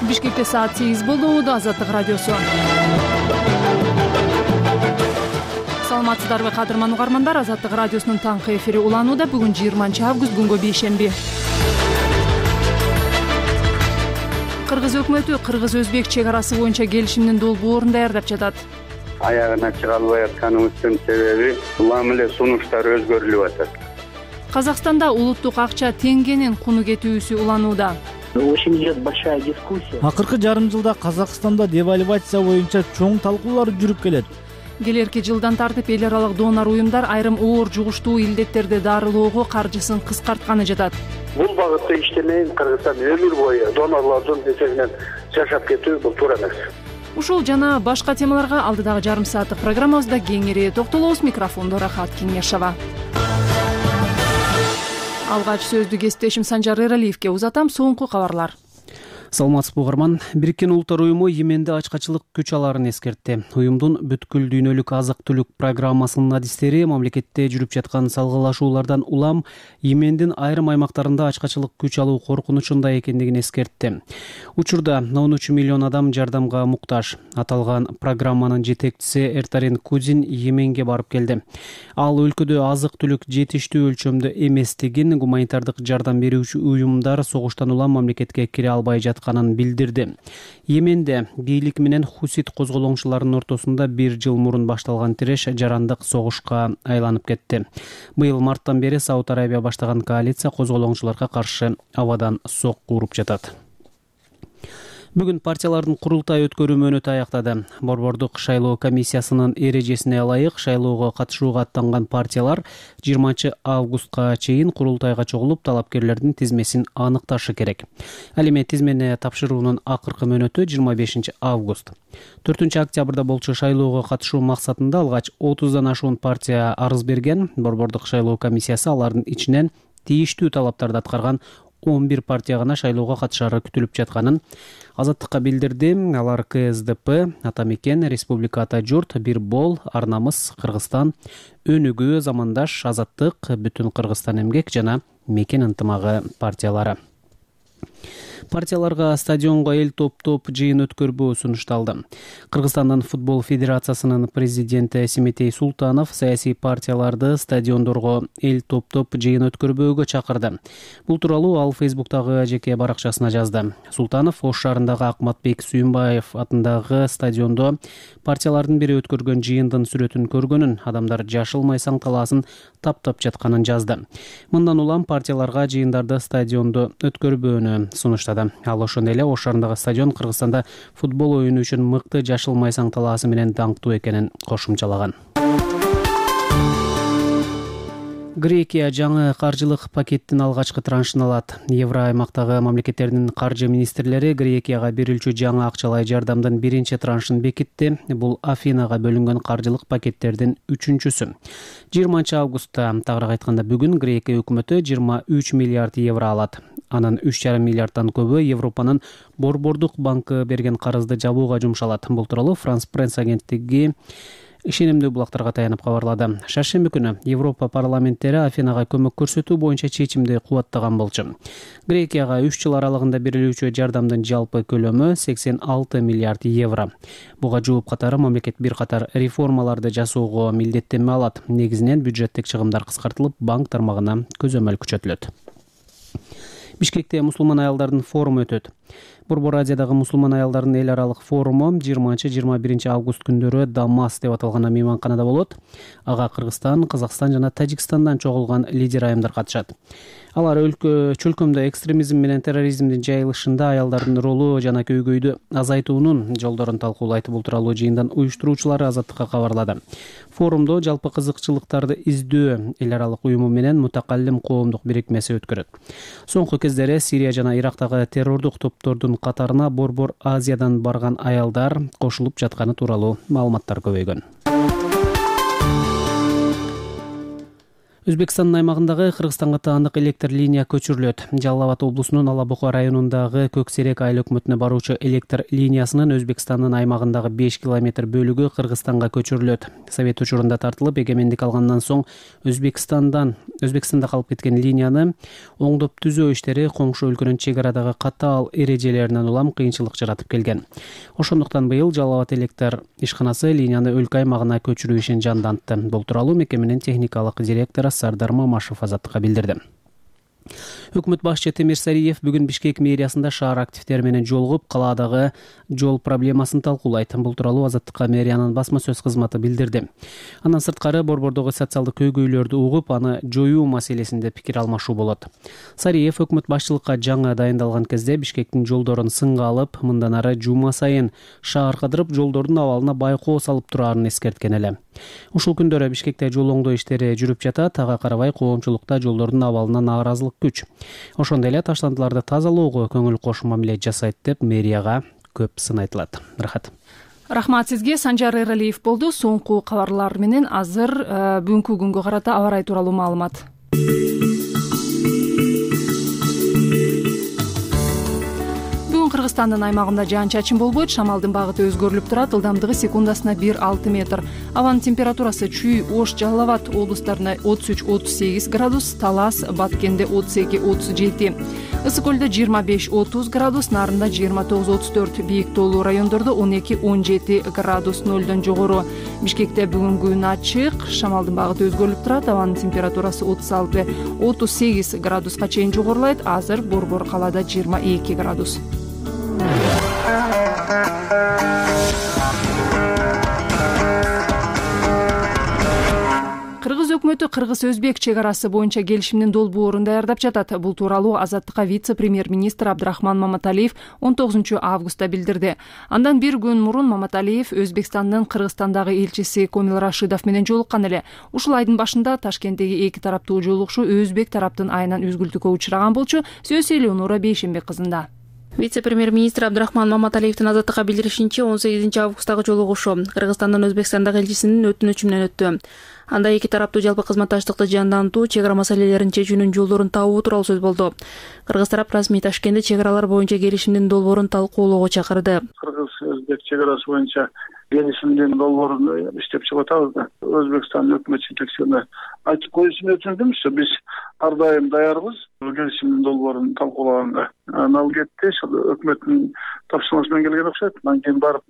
Бишкекте саат 8 болду. Азаттык радиосу. Саламатсыздарбы кадырман угармандар? Азаттык радиосунун таңкы эфири уланууда. Бүгүн 20 август, күнгө бейшемби. Кыргыз өкмөтү кыргыз-өзбек чек арасы боюнча келишимдин долбоорун даярдап жатат. Аягына чыга албай атканыбыздын себеби улам эле сунуштар өзгөрүлүп атат. Казакстанда улуттук акча теңгенин куну кетүүсү уланууда. Очень идет большая дискуссия. Акыркы жарым жылда Казакстанда девальвация боюнча чоң талкуулар жүрүп келет. Келерки жылдан тартып эл аралык донор уюмдар айрым оор жугуштуу илдеттерди дарылоого каржысын кыскартканы жатат. Бул багытта иштемейин, Кыргызстан өмүр бою донорлордун эсебинен жашап кетүү бул туура эмес. Ушул жана башка темаларга алдыдагы жарым сааттык программабызда кеңири токтолобуз. Микрофондо Рахат Кеңешова. Алгач сөздү кесиптешим Санжар Эралиевке узатам. Соңку кабарлар. Саламатсызбы угарман. Бириккен Улуттар уюму Йеменде ачкачылык күч алаарын эскертти. Уюмдун бүткүл дүйнөлүк азык-түлүк программасынын адистери мамлекетте жүрүп жаткан салгылашуулардан улам Йемендин айрым аймактарында ачкачылык күч алуу коркунучунда экендигин эскертти. Учурда 13 миллион адам жардамга муктаж. Аталган программанын жетекчиси Эртарин Кудин Йеменге барып келди. Ал өлкөдө азык-түлүк жетиштүү өлчөмдө эместигин, гуманитардык жардам берүүчү уюмдар согуштан улам мамлекетке кире албай жатканын билдирди. Йеменде бийлик менен хусит козголоңчуларынын ортосунда 1 жыл мурун башталган тиреш жарандык согушка айланып кетти. Быйыл марттан бери Сауд Арабия баштаган коалиция козголоңчуларга каршы абадан сокку уруп жатат. Бүгүн партиялардын курултай өткөрүү мөөнөтү аяктады. Борбордук шайлоо комиссиясынын эрежесине ылайык шайлоого катышууга аттанган партиялар 20 августка чейин курултайга чогулуп, талапкерлердин тизмесин аныкташы керек. Ал эми тизмени тапшыруунун акыркы мөөнөтү 25 август. 4 октябрда болчу шайлоого катышуу максатында алгач 30дан ашуун партия арыз берген. Борбордук шайлоо комиссиясы алардын ичинен тийиштүү талаптарды аткарган 11 партия гана шайлоого катышары күтүлүп жатканын Азаттыкка билдирди. Алар КСДП, Ата Мекен, Республика Ата Журт, Бир Бол, Ар Намыс, Кыргызстан, Өнүгүү, Замандаш, Азаттык, Бүтүн Кыргызстан эмгек жана Мекен ынтымагы партиялары. Партияларга стадионго эл топтоп жыйын өткөрбөө сунушталды. Кыргызстандын футбол федерациясынын президенти Симетей Султанов саясий партияларды стадиондорго эл топтоп жыйын өткөрбөөгө чакырды. Бул тууралуу ал Фейсбуктагы жеке баракчасына жазды. Султанов Ош шаарындагы Акматбек Сүйүнбаев атындагы стадиондо партиялардын бири өткөргөн жыйындын сүрөтүн көргөнүн, адамдар жашыл майсаң талаасын таптап жатканын жазды. Мындан улам партияларга жыйындарды стадиондо өткөрбөөнү сунуштады. Ал ошондой эле Ош шаарындагы стадион Кыргызстанда футбол оюну үчүн мыкты жашыл майсаң талаасы менен даңктуу экенин кошумчалаган. Грекия жаңы каржылык пакеттин алгачкы траншын алат. Евро аймактагы мамлекеттердин каржы министрлери Грекияга берилчү жаңы акчалай жардамдын биринчи траншын бекитти. Бул Афинага бөлүнгөн каржылык пакеттердин 3-чүсү. 20 августта, тагыраак айтканда бүгүн, Грекия өкмөтү 23 миллиард евро алат. Анын 3,5 миллиардтан көбү Европанын Борбордук банкы берген карызды жабууга жумшалат. Бул тууралуу Франс пресс агенттиги ишенимдүү булактарга таянып кабарлады. Шаршемби күнү Европа парламенттери Афинага көмөк көрсөтүү боюнча чечимди кубаттаган болчу. Грекияга 3 жыл аралыгында берилүүчү жардамдын жалпы көлөмү 86 миллиард евро. Буга жууп катары мамлекет бир катар реформаларды жасоого милдеттенме алат. Негизинен бюджеттик чыгымдар кыскартылып, банк тармагына көзөмөл күчөтүлөт. Бишкекте мусулман аялдардын форуму өтөт. Борбор Азиядагы мусулман аялдардын эл аралык форуму 20-21 август күндөрү Дамас деп аталган мейманканада болот. Ага Кыргызстан, Казакстан жана Тажикстандан чогулган лидер айымдар катышат. Алар чөлкөмдө экстремизм менен терроризмдин жайылышында аялдардын ролу жана көйгөйдү азайтуунун жолдорун талкуулайт. Бул тууралуу жыйындан уюштуруучулары Азаттыкка кабарлады. Форумдо жалпы кызыкчылыктарды издөө эл аралык уюму менен мутакаллим коомдук бирикмеси өткөрөт. Соңку кездери Сирия жана Ирактагы террордук топтордун катарына Борбор Азиядан барган аялдар кошулуп жатканы тууралуу маалыматтар көбөйгөн. Өзбекстандын аймагындагы Кыргызстанга таандык электр линия көчүрүлөт. Жалал Абад облусунун Ала Бука районундагы Көксерек айыл өкмөтүнө баруучу электр линиясынын Өзбекстандын аймагындагы 5 километр бөлүгү Кыргызстанга көчүрүлөт. Совет учурунда тартылып, эгемендик алгандан соң Өзбекстанда калып кеткен линияны оңдоп түзөө иштери коңшу өлкөнүн чек арадагы катаал эрежелеринен улам кыйынчылык жаратып келген. Ошондуктан быйыл Жалал Абад электр ишканасы линияны өлкө аймагына көчүрүү ишин жандантты. Бул тууралуу мекеменин техникалык директору Сардар Мамашев Азаттыкка билдирди. Өкмөт башчы Темир Сариев бүгүн Бишкек мэриясында шаар активдери менен жолугуп, калаадагы жол проблемасын талкуулайт. Бул тууралуу Азаттыкка мэриянын басма сөз кызматы билдирди. Андан сырткары борбордогу социалдык көйгөйлөрдү угуп, аны жоюу маселесинде пикир алмашуу болот. Сариев өкмөт башчылыкка жаңы дайындалган кезде Бишкектин жолдорун сынга алып, мындан ары жума сайын шаар кыдырып, жолдордун абалына байкоо салып турарын эскерткен эле. Ушул күндөрү Бишкекте жол оңдоо иштери жүрүп жатат. Ага карабай коомчулукта жолдордун абалына нааразылык күч. Ошондой эле таштандыларды тазалоого көңүл кош мамиле жасайт деп мэрияга көп сын айтылат. Рахмат сизге. Санжар Эралиев болду. Соңку кабарлар менен азыр бүгүнкү күнгө карата аба ырайы тууралуу маалымат. Кыргызстандын аймагында жаан-чачын болбойт, шамалдын багыты өзгөрүлүп турат, ылдамдыгы секундасына 1-6 метр. Абанын температурасы Чүй, Ош, Жалал Абад облустарында 33-38 градус, Талас, Баткенде 32-37, Ысык көлдө 25-30 градус, Нарында 29-34, бийик тоолуу райондордо 12-17 градус, нөлдөн жогору. Бишкекте бүгүнкү күн ачык, шамалдын багыты өзгөрүлүп турат, абанын температурасы 36-38 градуска чейин жогорулайт. Азыр Борбор калаада 22 градус. Кыргыз өкмөтү кыргыз-өзбек чек арасы боюнча келишимдин долбоорун даярдап жатат. Бул тууралуу Азаттыкка вице-премьер-министр Абдрахман Маматалиев 19 августта билдирди. Андан бир күн мурун Маматалиев Өзбекстандын Кыргызстандагы элчиси Комил Рашидов менен жолуккан эле. Ушул айдын башында Ташкенттеги эки тараптуу жолугушуу өзбек тараптын айынан үзгүлтүккө учураган болчу. Сөз Элеонора Бейшенбек кызында. Вице-премьер-министр Абдрахман Маматалиевдин Азаттыкка билдиришинче, 18 августтагы жолугушуу Кыргызстандын Өзбекстандагы элчисинин өтүнүчү менен өттү. Анда эки тараптуу жалпы кызматташтыкты жандантуу, чек ара маселелерин чечүүнүн жолдорун табуу тууралуу сөз болду. Кыргыз тарап расмий Ташкентте чек аралар боюнча келишимдин долбоорун талкуулоого чакырды. Кыргыз-өзбек чек арасы боюнча келишимдин долбоорун иштеп чыгып атабыз да. Өзбекстан өкмөт жетекчилине айтып коюшун өтүндүмүз. Биз ар дайым даярбыз келишимдин долбоорун талкуулаганга. Ал кетти, өкмөттүн тапшырмасы менен келген окшойт. Андан кийин барып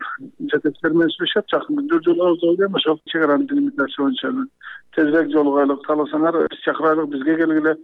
жетекчилер менен сүйлөшөт. Жакын күндө жолугабыз деп ойлойм. Ошол чек аранын делимитациясы боюнча тезирээк жолугайлык, кааласаңар биз чакырайлык, бизге келгиле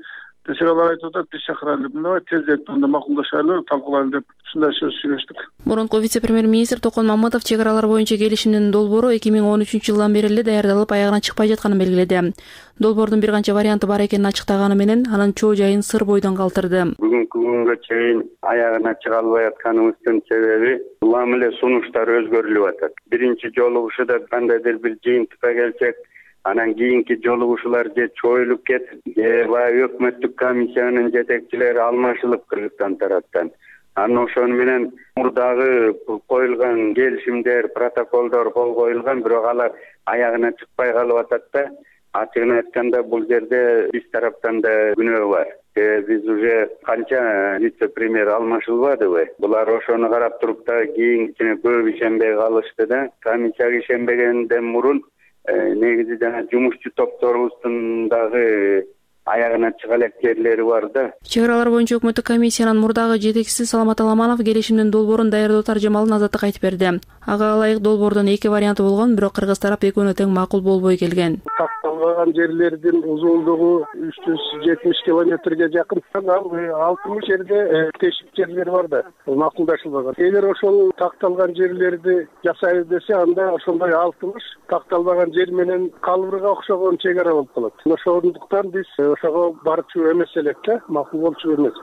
десек, алар айтып атат, биз чакырайлы, мындай тезирээк анда макулдашайлы, талкуулайлы деп ушундай сөз сүйлөштүк. Мурунку вице-премьер-министр Токон Мамытов чек аралар боюнча келишимдин долбоору 2013-жылдан бери эле даярдалып, аягына чыкпай жатканын белгиледи. Долбоордун бир канча варианты бар экенин ачыктаганы менен анын чоо жайын сыр бойдон калтырды. Бүгүнкү күнгө чейин аягына чыга албай атканыбыздын себеби улам эле сунуштар өзгөрүлүп атат. Биринчи жолугушууда кандайдыр бир жыйынтыкка келсек, анан кийинки жолугушуулар же чоюлуп кетип, же баягы өкмөттүк комиссиянын жетекчилери алмашылып Кыргызстан тараптан. Анан ошону менен мурдагы коюлган келишимдер, протоколдор кол коюлган, бирок алар аягына чыкпай калып атат да. Ачыгын айтканда, бул жерде биз тараптан да күнөө бар. Биз уже канча вице-премьер алмашылбадыбы? Булар ошону карап туруп да кийинкисине көп ишенбей калышты да. Комиссияга ишенбегенден мурун негизи жана жумушчу топторубуздун дагы аягына чыга элек жерлери бар да. Чек аралар боюнча өкмөттүк комиссиянын мурдагы жетекчиси Саламат Аламанов келишимдин долбоорун даярдоо таржымалын Азаттыкка айтып берди. Ага ылайык долбоордун эки варианты болгон, бирок кыргыз тарап экөөнө тең макул болбой келген. Такталган жерлердин узундугу 370 километрге жакын. Ал 60 жерде тешик жерлер бар да, макулдашылбаган. Эгер ошол такталган жерлерди жасайлы десе, анда ошондой 60 такталбаган жер менен калбырга окшогон чек ара болуп калат. Ошондуктан биз ошого барчу эмес элек да, макул болчу эмес.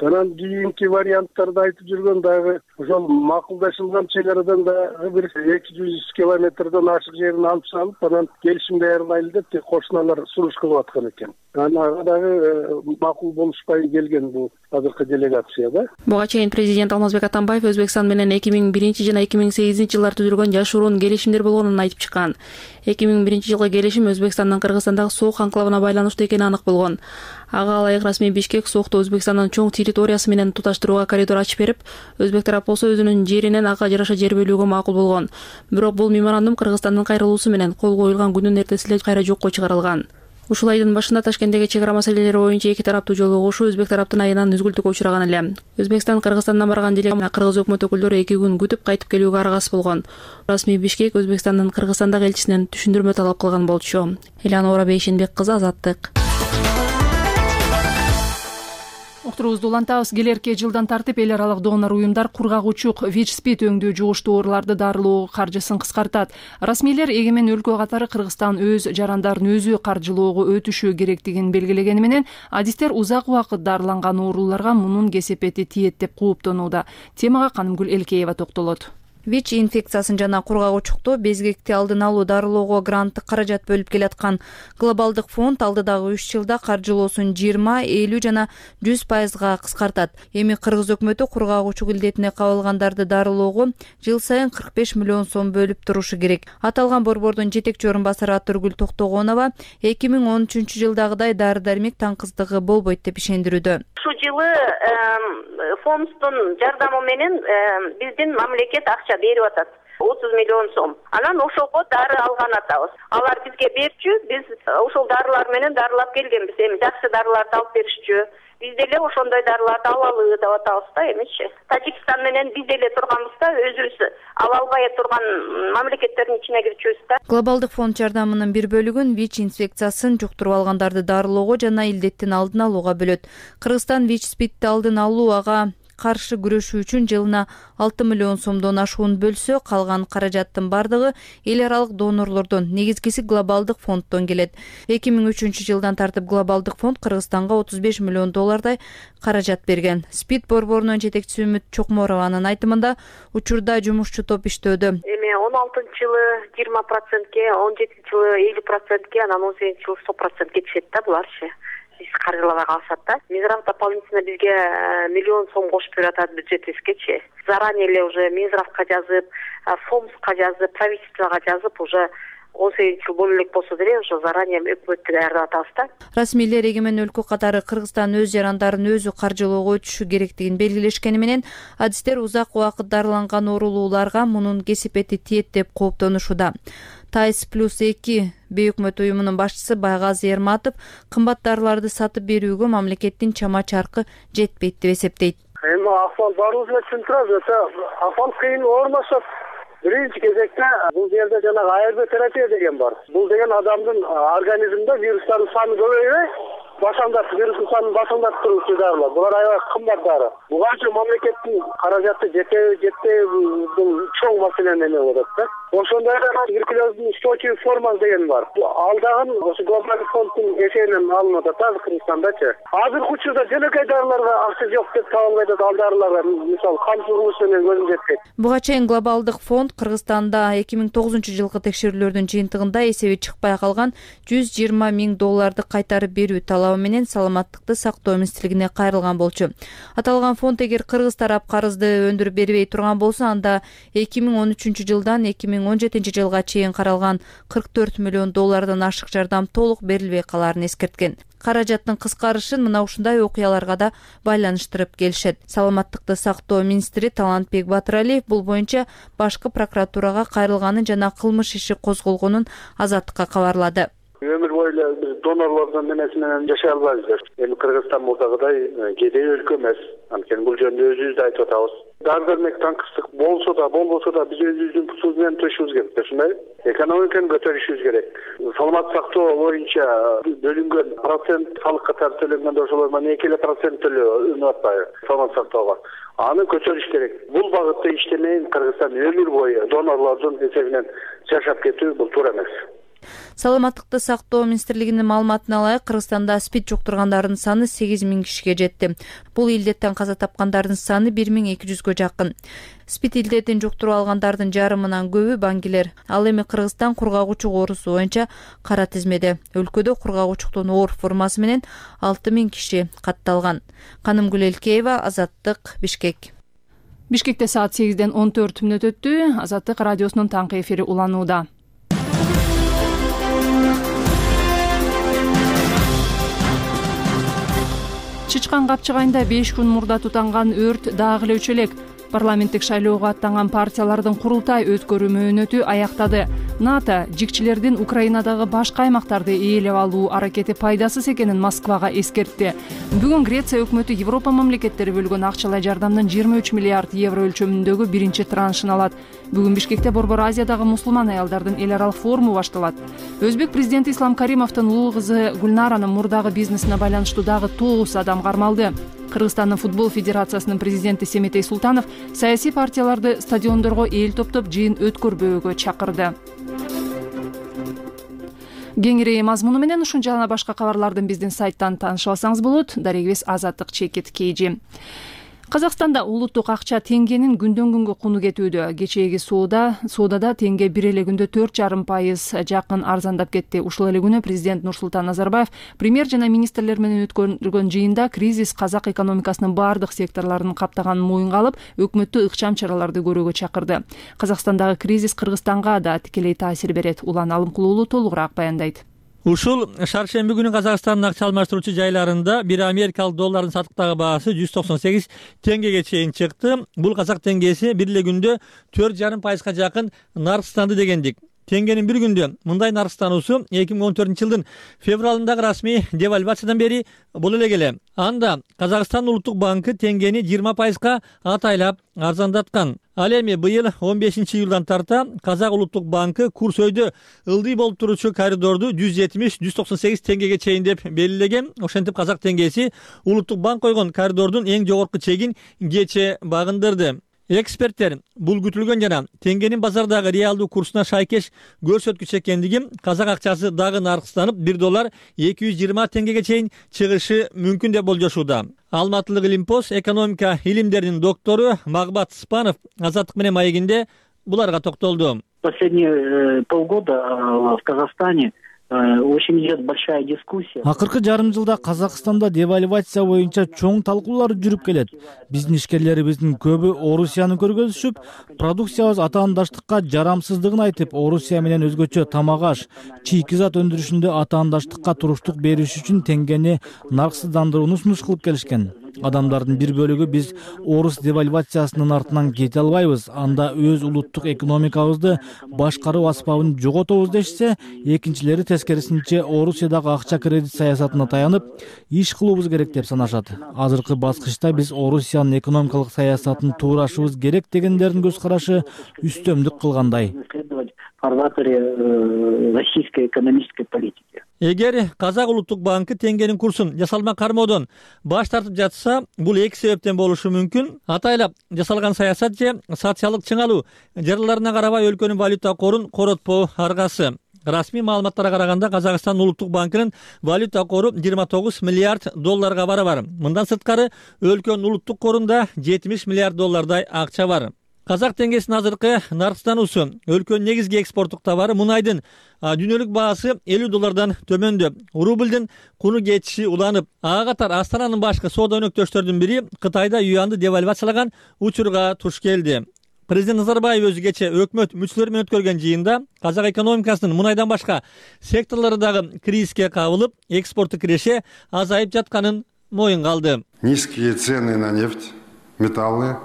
Анан кийинки варианттарды айтып жүргөн дагы ошол макулдашылган чек арадан дагы бир 200 километрден ашык жерин алып салып, анан келишим даярдайлы деп кошуналар сунуш кылып аткан экен. Ага дагы макул болушпай келген бул азыркы делегация да. Буга чейин президент Алмазбек Атамбаев Өзбекстан менен 2001 жана 2008 жылдары түзүлгөн жашыруун келишимдер болгонун айтып чыккан. 2001 жылкы келишим Өзбекстандын Кыргызстандагы соок анклавына байланыштуу экени анык болгон. Ага ылайык расмий Бишкек соокто Өзбекстандын чоң территориясы менен туташтырууга коридор ачып берип, өзбек тарап болсо өзүнүн жеринен ага жараша жер бөлүүгө макул болгон. Бирок бул меморандум Кыргызстандын кайрылуусу менен кол коюлган күнүн эртеси эле кайра жокко чыгарылган. Ушул айдын башында Ташкенттеги чек ара маселелери боюнча эки тараптуу жолугушуу өзбек тараптын айынан үзгүлтүккө учураган эле. Өзбекстан Кыргызстандан барган делегация кыргыз өкмөт өкүлдөрү 2 күн күтүп кайтып келүүгө аргасыз болгон. Расмий Бишкек Өзбекстандын Кыргызстандагы элчисинен түшүндүрмө талап кылган болчу. Элеонора Бейшенбек кызы, Азаттык. Уктуруубузду улантабыз. Келерки жылдан тартып эл аралык донор уюмдар кургагучук ВИЧ-СПИД өңдүү жугуштуу ооруларды дарылоо каржысын кыскартат. Расмийлер эгемен өлкө катары Кыргызстан өз жарандарын өзү каржылоого өтүшү керектигин белгилегени менен адистер узак убакыт дарыланган ооруларга мунун кесепети тиет деп кооптонууда. Темага Канымгүл Элкеева токтолот. ВИЧ инфекциясын жана кургагучукту безгекти алдын алуу дарылоого гранттык каражат бөлүп келаткан глобалдык фонд алдыдагы 3 жылда каржылоосун 20, 50 жана 100% кыскартат. Эми кыргыз өкмөтү кургагучук илдетине кабылгандарды дарылоого жыл сайын 45 миллион сом бөлүп турушу керек. Аталган борбордун жетекчи орун басары Атыргүл Токтогонова 2013 жылдагыдай дары-дармек таңкыздыгы болбойт деп ишендирүүдө. Ушул жылы фонддун жардамы менен биздин мамлекет акча берип атат. 30 миллион сом. Анан ошого дары алган атабыз. Алар бизге берчү, биз ошол дарылар менен дарылап келгенбиз. Эми жакшы дарыларды алып беришчү. Биз деле ошондой дарыларды алалы деп атабыз да эмичи. Тажикстан менен биз деле турганбыз да, өзүбүз ала албай турган мамлекеттердин ичине кирчүбүз да. Глобалдык фонд жардамынын бир бөлүгүн ВИЧ инфекциясын жуктуруп алгандарды дарылоого жана илдеттин алдын алууга бөлөт. Кыргызстан ВИЧ-СПИДти алдын алуу ага каршы күрөшүү үчүн жылына 6 миллион сомдон ашуун бөлсө, калган каражаттын бардыгы эл аралык донорлордон, негизгиси глобалдык фонддон келет. 2003 жылдан тартып глобалдык фонд Кыргызстанга 35 миллион доллардай каражат берген. СПИД борборунун жетекчиси Үмүт Чокморованын айтымында учурда жумушчу топ иштөөдө. Эми 16-жылы 20%ке, 17-жылы 50%ке, анан 18-жылы 100% кетишет да буларчы. Биз каржылабай калсак да. Минздрав дополнительно бизге миллион сом кошуп берип атат бюджетибизгечи. Заранее эле уже Минздравга жазып, ФОМСка жазып, правительствого жазып, уже 18 жыл боло элек болсо деле ошо заранее өкмөттү даярдап атабыз да. Расмийлер эгемен өлкө катары Кыргызстан өз жарандарын өзү каржылоого өтүшү керектигин белгилешкени менен адистер узак убакыт дарыланган оорулууларга мунун кесепети тиет деп кооптонушууда. ТАЙС+2 бейөкмөт уюмунун башчысы Байгазы Эрматов кымбат дарыларды сатып берүүгө мамлекеттин чама чаркы жетпейт деп эсептейт. Эми акыбал баарыбыз эле түшүндүрөбүз, акыбал кыйын оорлошо биринчи кезекте бул жерде жанагы АРБ терапия деген бар. Бул деген адамдын организминде вирустардын саны көбөйбөй, вирустун санын башаңдатып туруучу дарылар. Булар аябай кымбат дары. Буга үчүн мамлекеттин каражаты жетпей бул чоң маселени эме болот да. Ошондой эле туберкулездин устойчивый формасы деген бар. Ал дагы ошо глобалдык фонддун эсебинен алынып атат Кыргызстандачы. Азыркы учурда жөнөкөй дарыларга акча жок деп таба албайт атат. Ал дарыларга мисалы кан чыгуусу менен көзүм жетпейт. Буга чейин глобалдык фонд Кыргызстанда 2009 жылкы текшерүүлөрдүн жыйынтыгында эсеби чыкпай калган 120 миң долларды кайтарып берүү талабы менен саламаттыкты сактоо министрлигине кайрылган болчу. Аталган фонд эгер кыргыз тарап карызды өндүрүп бербей турган болсо, анда 2013 жылдан 2017 жылга чейин каралган 44 миллион доллардан ашык жардам толук берилбей каларын эскерткен. Каражаттын кыскарышын мына ушундай окуяларга да байланыштырып келишет. Саламаттыкты сактоо министри Талантбек Батыралиев бул боюнча башкы прокуратурага кайрылганын жана кылмыш иши козголгонун Азаттыкка кабарлады. Өмүр бою эле донорлордун эмеси менен жашай албайбыз. Эми Кыргызстан мурдагыдай кедей өлкө эмес. Анткени бул жөнүндө өзүбүз да айтып атабыз. Дары-дармек таңкыстык болсо да, болбосо да биз өзүбүздүн путубуз менен төшүбүз керек, ушундай. Экономиканы көтөрүшүбүз керек. Саламат сактоо боюнча бөлүнгөн процент салык катары төлөнгөндө ошолордон 2% төлөп атпайбы саламат сактоого. Аны көтөрүш керек. Бул багытта иштемейин Кыргызстан өмүр бою донорлордун эсебинен жашап кетүү бул туура эмес. Саламаттыкты сактоо министрлигинин маалыматына ылайык, Кыргызстанда СПИД жуктургандардын саны 8000 кишиге жетти. Бул илдеттен каза тапкандардын саны 1200гө жакын. СПИД илдетин жуктуруп алгандардын жарымынан көбү баңгилер. Ал эми Кыргызстан кургагучук оорусу боюнча кара тизмеде. Өлкөдө кургагучуктун оор формасы менен 6000 киши катталган. Канымгүл Элкеева, Азаттык, Бишкек. Бишкекте саат 8-ден 14 мүнөт өттү. Азаттык радиосунун таңкы эфири уланууда. Чычкан капчыгайында 5 күн мурда тутанган өрт дагы эле өчөлөк. Парламенттик шайлоого аттанган партиялардын курултай өткөрүү мөөнөтү аяктады. НАТО жикчилердин Украинадагы башка аймактарды ээлеп алуу аракети пайдасыз экенин Москвага эскертти. Бүгүн Греция өкмөтү Европа мамлекеттери бөлгөн акчалай жардамдын 23 миллиард евро өлчөмүндөгү биринчи траншын алат. Бүгүн Бишкекте Борбор Азиядагы мусулман аялдардын эл аралык форуму башталат. Өзбек президенти Ислам Каримовдун улуу кызы Гүлнаранын мурдагы бизнесине байланыштуу дагы 9 адам кармалды. Кыргызстандын футбол федерациясынын президенти Семетей Султанов саясий партияларды стадиондорго эл топтоп жыйын өткөрбөөгө чакырды. Кеңири мазмуну менен ушун жана башка кабарлардын биздин сайттан таанышып алсаңыз болот. Дарегибиз Азаттык Чекит Кейжи. Казакстанда улуттук акча теңгенин күндөн күнгө куну кетүүдө. Кечээги соодада теңге бир эле күндө 4,5% жакын арзандап кетти. Ушул эле күнү президент Нурсултан Назарбаев премьер жана министрлер менен өткөрүлгөн жыйында кризис казак экономикасынын бардык секторлорун каптаганын моюнга алып, өкмөттү ыкчам чараларды көрүүгө чакырды. Казакстандагы кризис Кыргызстанга да тикелей таасир берет. Улан Алымкулуу уулу толугураак баяндайт. Ушул шаршемби күнү Казакстандын акча алмаштыруучу жайларында бир америкалык доллардын сатыктагы баасы 198 теңгеге чейин чыкты. Бул казак теңгеси бир эле күндө 4,5% жакын наркстанды дегендик. Теңгенин бир күндө мындай наркстануусу 2014-жылдын февралындагы расмий девальвациядан бери боло эле келе. Анда Казакстан улуттук банкы теңгени 20%га атайлап арзандаткан. Ал эми быйыл 15-июлдан тарта Казак улуттук банкы курс өйдө ылдый болуп туручу коридорду 170-198 теңгеге чейин деп белгилеген. Ошентип казак теңгеси улуттук банк койгон коридордун эң жогорку чегин кече багындырды. Эксперттер бул күтүлгөн жана теңгенин базардагы реалдуу курсуна шайкеш көрсөткүч экендиги, казак акчасы дагы наркстанып $1 220 теңгеге чейин чыгышы мүмкүн деп болжошууда. Алматылык Илимпоз экономика илимдеринин доктору Магбат Спанов Азаттык менен маегинде буларга токтолду. Последние полгода в Казахстане очень идет большая дискуссия. Акыркы жарым жылда Казакстанда девальвация боюнча чоң талкуулар жүрүп келет. Биздин ишкерлерибиздин көбү Орусияны көргөзүшүп, продукциябыз атаандаштыкка жарамсыздыгын айтып, Орусия менен өзгөчө тамак аш, чийки зат өндүрүшүндө атаандаштыкка туруштук бериш үчүн теңгени нарксыздандырууну сунуш кылып келишкен. Адамдардын бир бөлүгү биз орус девальвациясынын артынан кете албайбыз, анда өз улуттук экономикабызды башкаруу аспабын жоготобуз дешсе, экинчилери тескерисинче Орусиядагы акча кредит саясатына таянып, иш кылуубуз керек деп санашат. Азыркы баскычта биз Орусиянын экономикалык саясатын туурашыбыз керек дегендердин көз карашы үстөмдүк кылгандай. Российской экономической политики. Эгер Казак улуттук банкы теңгенин курсун жасалма кармоодон баш тартып жатса, бул эки себептен болушу мүмкүн. Атайлап жасалган саясат же социалдык чыңалуу жараларына карабай өлкөнүн валюта корун коротпоо аргасы. Расмий маалыматтарга караганда Казакстан улуттук банкынын валюта кору 29 миллиард долларга барабар. Мындан сырткары өлкөнүн улуттук корунда 70 миллиард доллардай акча бар. Казак теңгесинин азыркы наркстануусу өлкөнүн негизги экспорттук товары мунайдын дүйнөлүк баасы $50 төмөндө. Рублдун куну кетиши уланып, ага катар Астананын башкы соода өнөктөштөрдүн бири Кытайда юанды девальвациялаган учурга туш келди. Президент Назарбаев өзү кече өкмөт мүчөлөрү менен өткөргөн жыйында казак экономикасынын мунайдан башка секторлору дагы кризиске кабылып, экспортту киреше азайып жатканын моюнга алды. Низкие цены на нефть, металлы,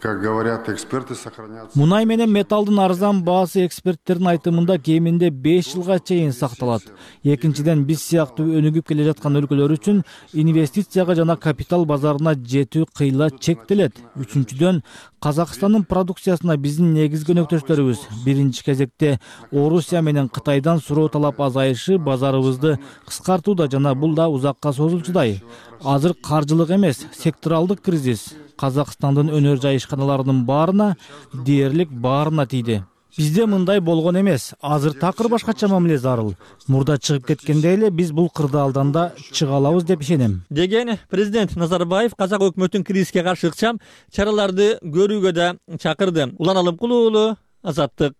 как говорят эксперты, сохранятся. Мунай менен металдын арзан баасы эксперттердин айтымында кеминде 5 жылга чейин сакталат. Экинчиден, биз сыяктуу өнүгүп келе жаткан өлкөлөр үчүн инвестицияга жана капитал базарына жетүү кыйла чектелет. Үчүнчүдөн, Казакстандын продукциясына биздин негизги өнөктөштөрүбүз биринчи кезекте Орусия менен Кытайдан суроо талап азайышы базарыбызды кыскартууда жана бул да узакка созулчудай. Азыр каржылык эмес, секторалдык кризис Казакстандын өнөр жайышканаларынын баарына, дээрлик баарына тийди. Бизде мындай болгон эмес. Азыр такыр башкача мамиле зарыл. Мурда чыгып кеткенде эле биз бул кырдаалдан да чыга алабыз деп ишенем, деген президент Назарбаев казак өкмөтүн кризиске каршы ыкчам чараларды көрүүгө да чакырды. Улан Алымкулов уулу, Азаттык.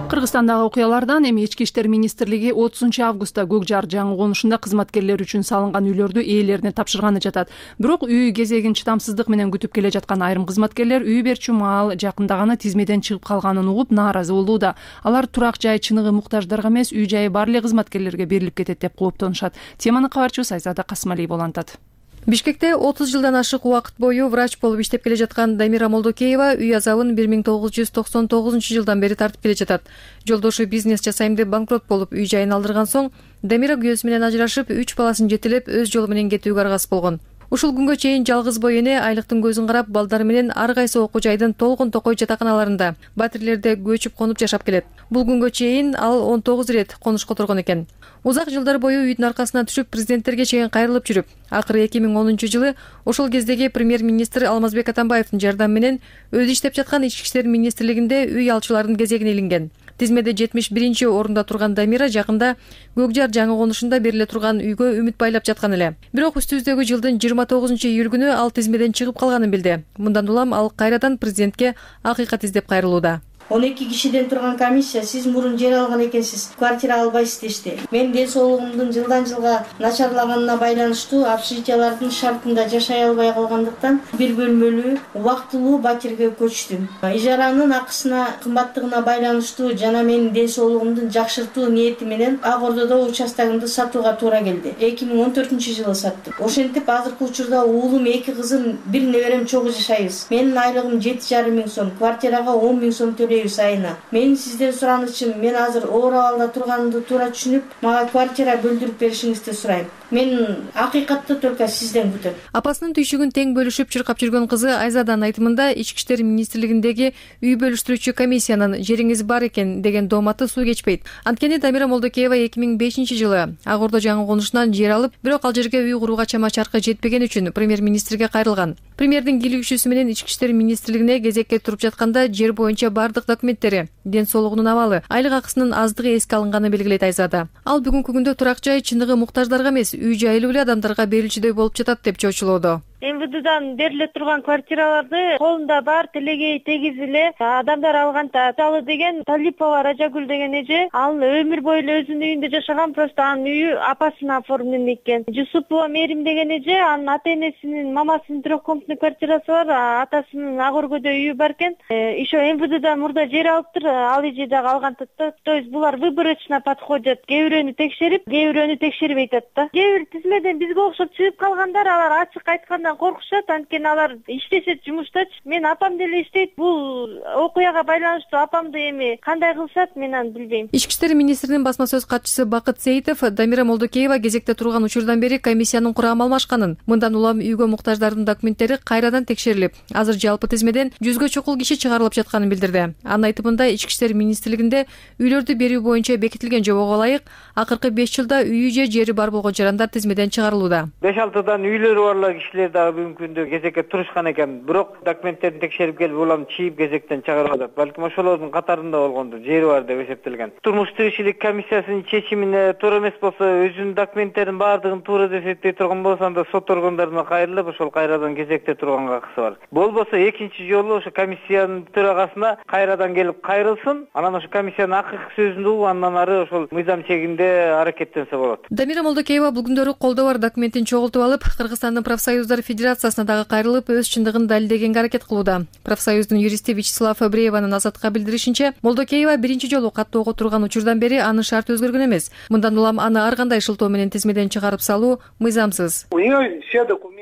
Кыргызстандагы окуялардан эми Ички иштер министрлиги 30-августта Көк Жар жаңы конушунда кызматкерлер үчүн салынган үйлөрдү ээлерине тапшырганы жатат. Бирок үй кезегин чыдамсыздык менен күтүп келе жаткан айрым кызматкерлер үй берчү маал жакындаганы тизмеден чыгып калганын угуп нааразы болууда. Алар турак жай чыныгы муктаждарга эмес, үй жайы бар эле кызматкерлерге берилип кетет деп кооптонушат. Теманы кабарчыбыз Айзада Касымалиева улантат. Бишкекте 30 жылдан ашык убакыт бою врач болуп иштеп келе жаткан Дамира Молдокеева үй азабын 1999-жылдан бери тартып келе жатат. Жолдошу бизнес жасайм деп банкрот болуп үй жайын алдырган соң Дамира күйөөсү менен ажырашып, 3 баласын жетелеп өз жолу менен кетүүгө аргасыз болгон. Ушул күнгө чейин жалгыз бой эне айлыктын көзүн карап балдары менен ар кайсы окуу жайдын толгон токой жатаканаларында, батирлерде көчүп конуп жашап келет. Бул күнгө чейин ал 19 рет конушка отургон экен. Узак жылдар бою үйдүн аркасына түшүп президенттерге чейин кайрылып жүрүп, акыры 2010-жылы ошол кездеги премьер-министр Алмазбек Атамбаевдин жардамы менен өзү иштеп жаткан Ички иштер министрлигинде үй алчылардын кезегине илинген. Тизмеде 71-орунда турган Дамира жакында Көк Жар жаңы конушунда бериле турган үйгө үмүт байлап жаткан эле. Бирок үстүбүздөгү жылдын 29-июль күнү ал тизмеден чыгып калганын билди. Мындан улам ал кайрадан президентке акыйкат издеп кайрылууда. 12 кишиден турган комиссия сиз мурун жер алган экенсиз, квартира албайсыз дешти. Мен ден соолугумдун жылдан жылга начарлаганына байланыштуу общежитиялардын шартында жашай албай калгандыктан бир бөлмөлүү убактылуу батирге көчтүм. Ижаранын акысына кымбаттыгына байланыштуу жана менин ден соолугумдун жакшыртуу ниети менен Ак Ордодо участогумду сатууга туура келди. 2014-жылы саттым. Ошентип азыркы учурда уулум, 2 кызым, бир неберем чогуу жашайбыз. Менин айлыгым 7,5 миң сом, квартирага 10 миң сом айына. Мен сизден суранычым, мен азыр оор абалда турганымды туура түшүнүп, мага квартира бөлдүрүп беришиңизди сурайм. Мен акыйкатты только сизден күтөм. Апасынын түйшүгүн тең бөлүшүп чыркап жүргөн кызы Айзаданын айтымында Ички иштер министрлигиндеги үй бөлүштүрүүчү комиссиянын жериңиз бар экен деген дооматы суу кечпейт. Анткени Дамира Молдокеева 2005-жылы Ак Ордо жаңы конушунан жер алып, бирок ал жерге үй курууга чама чаркы жетпеген үчүн премьер-министрге кайрылган. Премьердин кийлигүүчүсү менен Ички иштер министрлигине кезекке туруп жатканда жер боюнча бардык документтери, ден соолугунун абалы, айлык акысынын аздыгы эске алынганы белгилейт Айзада. Ал бүгүнкү күндө турак жай чыныгы муктаждарга эмес, үй жайлуу эле адамдарга берилчүдөй болуп жатат деп чочулоодо. МВДдан бериле турган квартираларды колунда бар тилегей тегиз эле адамдар алганда. Мисалы деген Талипова Ражагүл деген эже, ал өмүр бою эле өзүнүн үйүндө жашаган, просто анын үйү апасына оформлен экен. Жусупова Мерим деген эже, анын ата-энесинин мамасынын трехкомнатный квартирасы бар, атасынын Ак Ордодо үйү бар экен. Еще МВДдан мурда жер алыптыр, ал эже дагы алган. То есть булар выборочно подходят. Кээ бирөөнү текшерип, кээ бирөөнү текшербей атат да. Кээ бир тизмеден бизге окшоп чыгып калгандар, алар ачык айткандан коркушат, анткени алар иштешет жумуштачы. Мен апам деле иштейт, бул окуяга байланыштуу апамды эми кандай кылышат, мен аны билбейм. Ички иштер министринин басма сөз катчысы Бакыт Сейитов Дамира Молдокеева кезекте турган учурдан бери комиссиянын курамы алмашканын, мындан улам үйгө муктаждардын документтери кайрадан текшерилип, азыр жалпы тизмеден 100гө чукул киши чыгарылып жатканын билдирди. Анын айтымында Ички иштер министрлигинде үйлөрдү берүү боюнча бекитилген жобого ылайык акыркы 5 жылда үйү же жери бар болгон жарандар тизмеден чыгарылууда. 5-6 үйлөрү барлар кишилер дагы бүгүнкү күндө кезекке турушкан экен. Бирок документтерин текшерип келип улам чийип кезектен чыгарып атат. Балким ошолордун катарында болгондур, жери бар деп эсептелген. Турмуш тиричилик комиссиясынын чечимине туура эмес болсо, өзүнүн документтерин баардыгын туура деп эсептей турган болсо, анда сот органдарына кайрылып, ошол кайрадан кезекте турганга акысы бар. Болбосо экинчи жолу ошо комиссиянын төрагасына кайрадан келип кайрылсын, анан ошо комиссиянын акыркы сөзүн угуп, андан ары ошол мыйзам чегинде аракеттенсе болот. Дамира Молдокеева бул күндөрү колдоо бар документин чогултуп алып, Кыргызстандын профсоюздар федерациясына дагы кайрылып, өз чындыгын далилдегенге аракет кылууда. Профсоюздун юристи Вячеслав Абрееванын Азаттыкка билдиришинче, Молдокеева биринчи жолу каттоого турган учурдан бери анын шарты өзгөргөн эмес. Мындан улам аны ар кандай шылтоо менен тизмеден чыгарып салуу мыйзамсыз.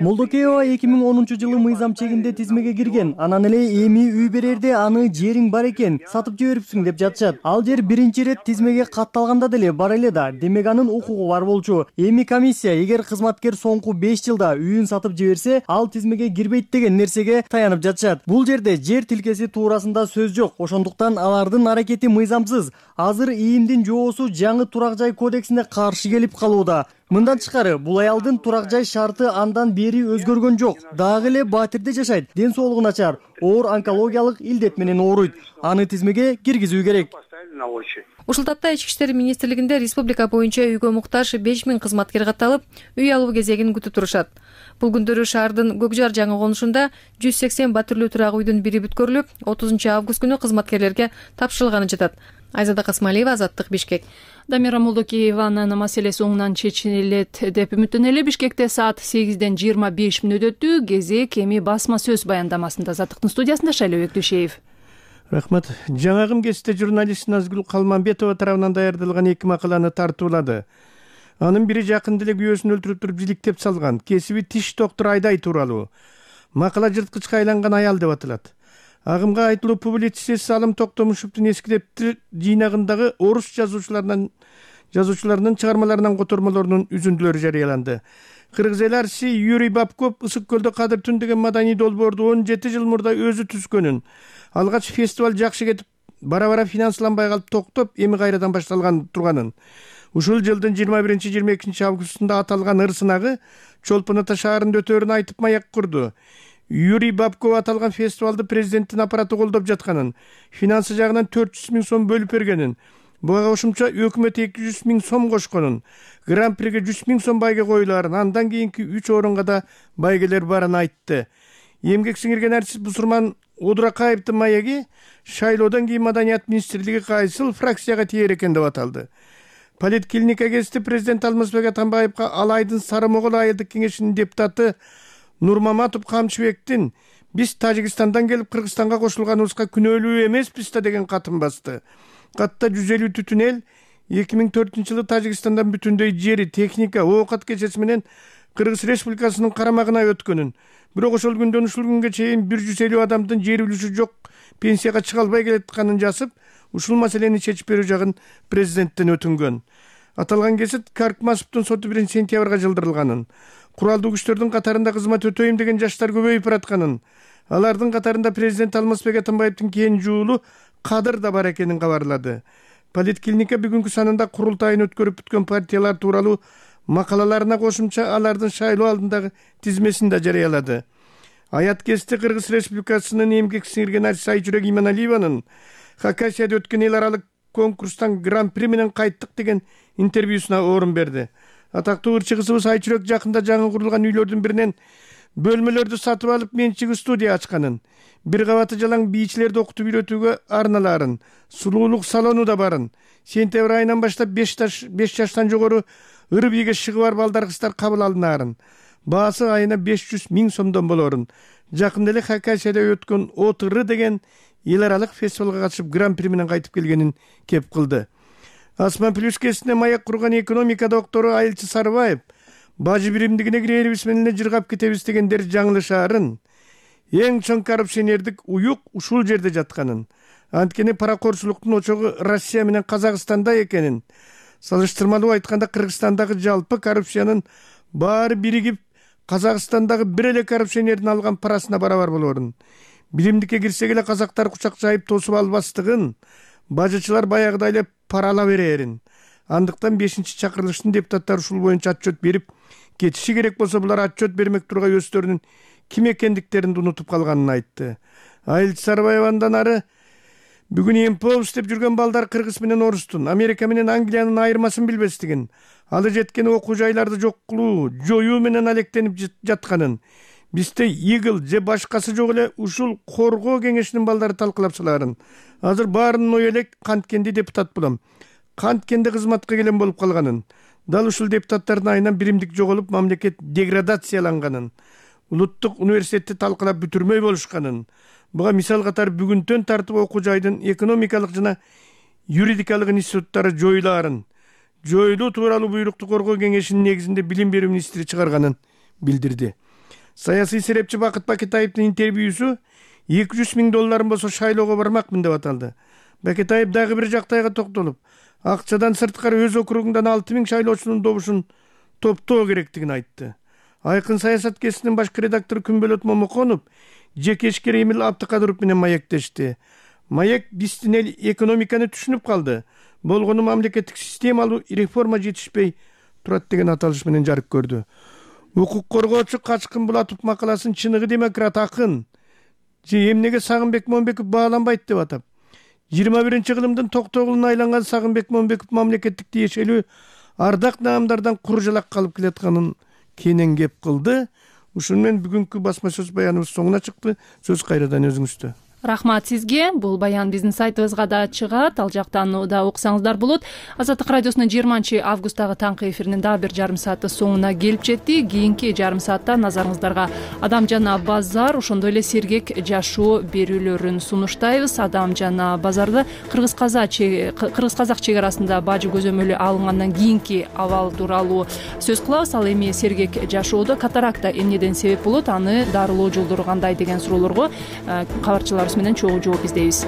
Молдокеева 2010-жылы мыйзам чегинде тизмеге кирген. Анан эле эми үй берерде аны жериң бар экен, сатып жибериптсиң деп жатышат. Ал жер биринчи рет тизмеге катталганда деле бар эле да, демек анын укугу бар болчу. Эми комиссия эгер кызматкер соңку 5 жылда үйүн сатып жиберип берсе, ал тизмеге кирбейт деген нерсеге таянып жатышат. Бул жерде жер тилкеси туурасында сөз жок. Ошондуктан алардын аракети мыйзамсыз. Азыр ИИМдин жоосу жаңы турак жай кодексине каршы келип калууда. Мындан тышкары, бул аялдын турак жай шарты андан бери өзгөргөн жок. Дагы эле Батирде жашайт, ден соолугу начар, оор онкологиялык илдет менен ооруйт. Аны тизмеге киргизүү керек. Ушул тапта Ички иштер министрлигинде республика боюнча үйгө муктаж 5000 кызматкер катталып, үй алуу кезегин күтүп турушат. Бул күндөрү шаардын Көкжар жаңы конушунда 180 батирлүү турак үйдүн бири бүткөрүлүп, 30 август күнү кызматкерлерге тапшырылганы жатат. Айзада Касмалиева, Азаттык, Бишкек. Дамира Молдокееванын маселеси оңунан чечилет деп үмүттөнөлү. Бишкекте саат 8ден 25 мүнөт өттү. Кезек эми басма сөз баяндамасында. Азаттыктын студиясында Шайлообек Дүйшеев. Рахмат. Жаңагым кесте журналист Назгүл Калманбетова тарабынан даярдалган 2 макаланы тартуулады. Анын бири жакында эле күйөөсүн өлтүрүп туруп жиликтеп салган кесиби тиш доктор Айдай тууралуу. Макала жырткычка айланган аял деп аталат. Агымга айтылуу публицист Салым Токтомушевдун эскилептир жыйнагындагы орус жазуучуларынын чыгармаларынан котормолорунун үзүндүлөрү жарыяланды. Кыргыз эл артиси Юрий Бабков Ысык көлдө Кадыр түн деген маданий долбоорду 17 жыл мурда өзү түзгөнүн, алгач фестиваль жакшы кетип, бара-бара финансланбай калып токтоп, эми кайрадан башталган турганын. Ушул жылдын 21-22 августунда аталган ыр сынагы Чолпон Ата шаарында өтөөрүн айтып маяк курду. Юрий Бабков аталган фестивалды президенттин аппараты колдоп жатканын, финансы жагынан 400 000 сом бөлүп бергенин, буга кошумча өкмөт 200 000 сом кошконун, гран-приге 100 000 сом байге коюларын, андан кийинки 3 орунга да байгелер барын айтты. Эмгек сиңирген артист Бусурман Одуракаевдин маеги шайлоодон кийин Маданият министрлиги кайсыл фракцияга тиер экен деп аталды. Политклиника кезинде президент Алмазбек Атамбаевга Алайдын Сары Могол айылдык кеңешинин депутаты Нурмаматов Камчыбектин биз Тажикстандан келип Кыргызстанга кошулганыбызга күнөөлүү эмеспиз да деген катын басты. Катта 150 түтүн эл 2004-жылы Тажикстандан бүтүндөй жери, техника, оокат кечеси менен Кыргыз Республикасынын карамагына өткөнүн, бирок ошол күндөн ушул күнгө чейин 150 адамдын жер үлүшү жок, пенсияга чыга албай келатканын жазып, ушул маселени чечип берүү жагын президенттен өтүнгөн. Аталган кесет Каркмасовдун соту 1 сентябрга жылдырылганын, куралдуу күчтөрдүн катарында кызмат өтөйм деген жаштар көбөйүп баратканын, алардын катарында президент Алмазбек Атамбаевдин кенже уулу Кадыр да бар экенин кабарлады. Политклиника бүгүнкү санында курултайын өткөрүп бүткөн партиялар тууралуу макалаларына кошумча алардын шайлоо алдындагы тизмесин да жарыялады. Аят кесте Кыргыз Республикасынын эмгек сиңирген артист Айчүрөк Иманалиеванын Хакасияда өткөн эл аралык конкурстан гран-при менен кайттык деген интервьюсуна орун берди. Атактуу ырчы кызыбыз Айчүрөк жакында жаңы курулган үйлөрдүн биринен бөлмөлөрдү сатып алып менчиги студия ачканын, бир кабаты жалаң бийчилерди окутуп үйрөтүүгө арналарын, сулуулук салону да барын, сентябрь айынан баштап 5 жаштан жогору ыр бийге шыгы бар балдар кыздар кабыл алынаарын, баасы айына 500 000 сомдон болорун, жакында эле Хакасияда өткөн Отыры деген эл аралык фестивалга катышып гран-при менен кайтып келгенин кеп кылды. Асман Плюс кесине маяк курган экономика доктору Айылчы Сарыбаев бажы биримдигине кирерибиз менен эле жыргап кетебиз дегендер жаңылышаарын, эң чоң коррупционердик уюк ушул жерде жатканын, анткени паракорчулуктун очогу Россия менен Казакстанда экенин, салыштырмалуу айтканда Кыргызстандагы жалпы коррупциянын баары биригип Казакстандагы бир эле коррупционердин алган парасына барабар болорун, биримдикке кирсек эле казактар кучак жайып тосуп албастыгын, бажычылар баягыдай эле парала берерин. Андыктан 5-чакырылыштын депутаттары ушул боюнча отчет берип кетиши керек болсо, булар отчет бермек тургай өздөрүнүн ким экендиктерин унутуп калганын айтты. Айылчы Сарыбаевандан ары бүгүн эмпоус деп жүргөн балдар кыргыз менен орустун, Америка менен Англиянын айырмасын билбестигин, алы жеткен окуу жайларды жок кылуу, жоюу менен алектенип жатканын, бизде Игл же башкасы жок эле ушул коргоо кеңешинин балдары талкылапсыларын, азыр баарынын ою элек канткенде депутат болом, канткенде кызматка келен болуп калганын, дал ушул депутаттардын айынан биримдик жоголуп мамлекет деградацияланганын, улуттук университетти талкылап бүтүрмөй болушканын, буга мисал катары бүгүнтөн тартып окуу жайдын экономикалык жана юридикалык институттары жоюлуу тууралуу буйрукту коргоо кеңешинин негизинде билим берүү министри чыгарганын билдирди. Саясий серепчи Бакыт Бакетаевдин интервьюсу $200 000 болсо шайлоого бармакмын деп аталды. Бакетаев дагы бир жактайга токтолуп, акчадан сырткары өз округундан 6000 шайлоочунун добушун топтоо керектигин айтты. Айкын саясат кесинин башкы редактору Күнбөлөт Момоконов жеке ишкер Эмил Абдыкадыров менен маектешти. Маек биздин эл экономиканы түшүнүп калды. Болгону мамлекеттик системалуу реформа жетишпей турат деген аталыш менен жарык көрдү. Укук коргоочу Качкын Булатов макаласын чыныгы демократ акын же эмнеге Сагынбек Момбеков бааланбайт деп атап, 21-кылымдын токтогулуна айланган Сагынбек Момбеков мамлекеттик тиешелүү ардак наамдардан куржалак калып келатканын кенен кеп кылды. Ушуну менен бүгүнкү басма сөз баяныбыз соңуна чыкты. Сөз кайрадан өзүңүздө. Рахмат сизге. Бул баян биздин сайтыбызга да чыгат. Ал жактан да окусаңыздар болот. Азаттык радиосунун 20-августтагы таңкы эфиринин дагы бир жарым сааты соңуна келип жетти. Кийинки жарым саатта назарыңыздарга Адам жана базар, ошондой эле сергек жашоо берүүлөрүн сунуштайбыз. Адам жана базарды кыргыз-казак чек арасында бажы көзөмөлү алынгандан кийинки абал тууралуу сөз кылабыз. Ал эми сергек жашоодо катаракта эмнеден себеп болот, аны дарылоо жолдору кандай деген суроолорго кабарчыларыбыз менен чогуу жооп издейбиз.